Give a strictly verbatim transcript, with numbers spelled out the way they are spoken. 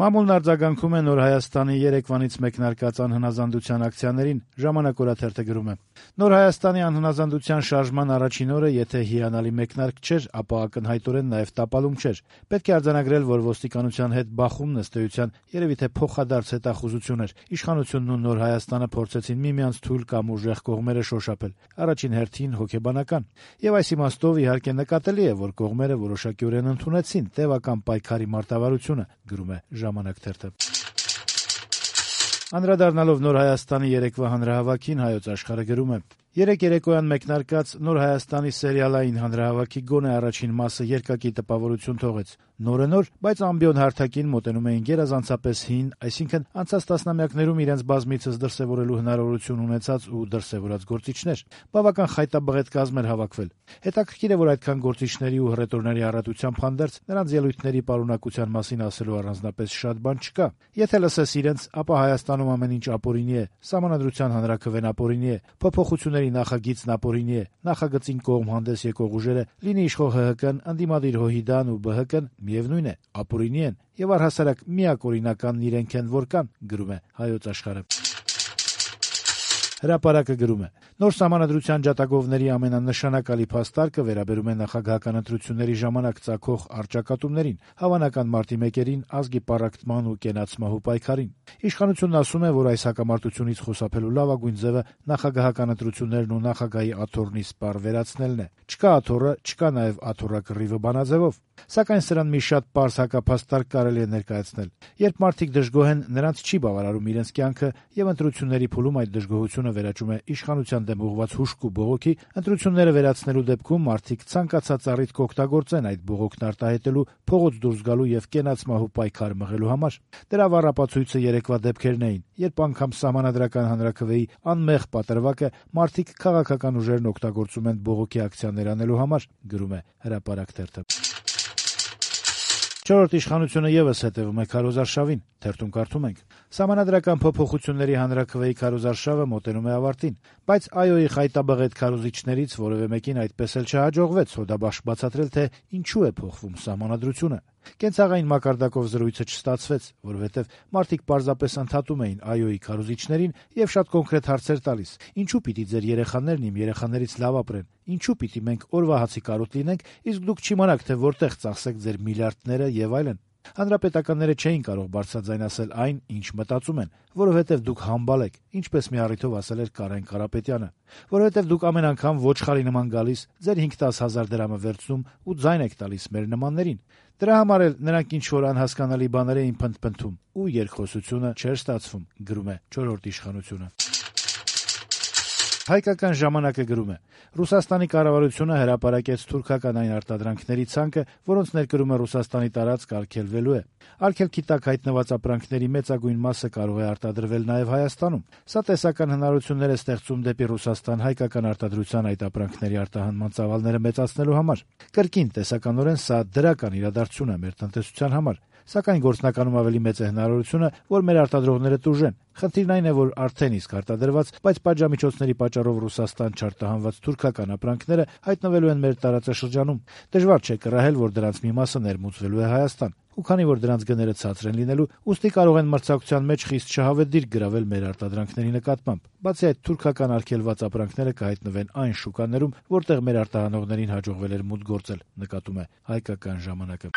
Մամուլն արձագանքում է Նոր Հայաստանի երեկվանից մեկնարկած անհնազանդության ակցիաներին, Ժամանակ օրաթերթը գրում է. Նոր Հայաստանի անհնազանդության շարժման առաջին օրը եթե հիանալի մեկնարկ չէր, ապա ակնհայտորեն նաև տապալում չէր։ Պետք է արձանագրել, որ ոստիկանության հետ բախումն ըստ էության երևի թե փոխադարձ հետախուզություն էր։ Իշխանությունն ու Նոր Հայաստանը փորձեցին միմյանց թույլ կամ ուժեղ կողմերը շոշափել, առաջին հերթին հոգեբանական։ Եվ այս իմաստով իհարկե նկատելի է, որ կողմերը որոշակիորեն ընդունեցին տևական պայքարի մարտավարությունը, գրում է Ժամանակ թերթը։ Անդրադառնալով Նոր Հայաստանի երեկվա հանրահավաքին Հայոց Աշխարհը գրում է. Երեկ երեկոյան մեկնարկած Նոր Հայաստանի սերիալային հանրահավաքի գոնե առաջին մասը երկակի տպավորություն թողեց։ Նորը նոր, բայց ամբիոն հարթակին մոտենում էին գերազանցապես հին, այսինքն անցած տասնամյակներում իրենց բազմիցս դրսևորելու հնարավորություն ունեցած ու դրսևորած գործիչներ։ Բավական խայտաբղետ կազմ էր հավաքվել։ Հետաքրքիր է, որ այդքան գործիչների ու հռետորների առատությամբ հանդերձ նրանց ելույթների պարունակության մասին ասելու առանձնապես շատ բան չկա։ Եթե լսես իրենց, ապա Հայաստանում ամեն ինչ ապօրինի է, Սահմանադրության հանրաքվեն ապօրինի է, փոփոխությունների նախագիծն ապօրինի է, նախագծին կողմ հանդես եկող ուժերը, լինի իշխող ՀՀԿ-ն, ընդդիմադիր ՀՅԴ-ն ու ԲՀԿ-ն, միևնույն է, ապօրինի են եւ առհասարակ միակ օրինականն իրենք են, որ կան, գրում է Հայոց Աշխարհը։ Հրապարակը գրում է. Նոր Սահմանադրության ջատագովների ամենանշանակալի փաստարկը վերաբերում է նախագահական ընտրությունների ժամանակ ծագող առճակատումներին, հավանական մարտի մեկերին, ազգի պառակտման ու կենացմահու պայքարին։ Իշխանությունն ասում է, որ այս հակամարտությունից խուսափելու լավագույն ձևը նախագահական ընտրություններն ու նախագահի աթոռնի սպառ վերացնելն է։ Չկա աթոռը, չկա նաև աթոռակռիվը բանաձևով։ Սակայն սրան մի շատ պարզ հակափաստարկ կարելի է ներկայացնել։ Երբ մարդիկ դժգոհ են, նրանց չի բավարարում իրենց կյանքը, եւ ընտրությունների փուլում այդ դժգոհությունը վերաճում է իշխանության դեմ ուղղված հուշք ու բողոքի, ընտրությունները վերացնելու դեպքում մարդիկ ցանկացած առիթ կօգտագործեն այդ բողոքն արտահայտելու, փողոց դուրս գալու եւ կենացմահու պայքար մղելու համար։ Դրա վառապացույցը երեկվա դեպքերն էին, երբ անգամ Սահմանադրական հանրաքվեի անմեղ պատրվակը մարդիկ քաղաքական ուժերն օգտագործում են բողոքի ակցիաներ անելու համար, գրում է Հրապարակ թերթը։ Չորրորդ իշխանությունը եւս հետեւում է քարոզարշավին, թերթում կարդում ենք. Սահմանադրական փոփոխությունների հանրաքվեի քարոզարշավը մոտենում է ավարտին, բայց ԱՅՈ-ի խայտաբղետ քարոզիչներից որևէ մեկին այդպես էլ չհաջողվեց սոդաբաշխ բացատրել, թե ինչու է փոխվում Սահմանադրությունը։ Կենցաղային մակարդակով զրույցը չստացվեց, որովհետև մարդիկ պարզապես ընդհատում էին ԱՅՈ-ի քարոզիչներին եւ շատ կոնկրետ հարցեր տալիս. ինչու պիտի ձեր երեխաներն իմ երեխաներից լավ ապրեն, ինչու պիտի մենք օրվա հացի կարոտ լինենք, իսկ դուք չիմանաք, թե որտեղ ծախսեք ձեր միլիարդները եւ այլն։ Հանրապետականները չէին կարող բարձրաձայն ասել այն, ինչ մտածում են, որովհետև դուք համբալ եք, ինչպես մի առիթով ասել էր Կարեն Կարապետյանը, որովհետև դուք ամեն անգամ ոչխարի նման գալիս, ձեր հինգ-տաս հազար դրամը վերցնում ու ձայն եք տալիս մեր նմաններին։ Դրա համար էլ նրանք ինչ-որ անհասկանալի բաներ էին փնթփնթում ու երկխոսությունը չէր ստացվում, գրում է չորրորդ իշխանությունը։ Հայկական ժամանակը գրում է. Ռուսաստանի կառավարությունը հրապարակեց թուրքական այն արտադրանքների ցանկը, որոնց ներկրումը Ռուսաստանի տարածք արգելվելու է։ Արգելքի տակ հայտնված ապրանքների մեծագույն մասը կարող է արտադրվել նաև Հայաստանում։ Սա տեսական հնարավորություններ է ստեղծում դեպի Ռուսաստան հայկական արտադրության այդ ապրանքների արտահանման ծավալները մեծացնելու համար։ Կրկին տեսականորեն սա դրական իրադարձություն է մեր տնտեսության համար։ Սակայն գործնականում ավելի մեծ է հնարավորությունը, որ մեր արտադրողները տուժեն։ Խնդիրն այն է, որ արդեն իսկ արտադրված, բայց պատժամիջոցների պատճառով Ռուսաստան չարտահանված թուրքական ապրանքները հայտնվելու են մեր տարածաշրջանում։ Դժվար չէ կռահել, որ դրանց մի մասը ներմուծվելու է Հայաստան։ Ու քանի որ դրանց գները ցածր են լինելու, ուստի կարող են մրցակցության մեջ խիստ շահավետ դիրք գրավել մեր արտադրանքների նկատմամբ։ Բացի այդ, թուրքական արգելված ապրանքները կհայտնվեն այն շուկաներում, որտեղ մեր արտահանողներին հաջողվել էր մուտք գործել, նկատում է Հայկական ժամանակը։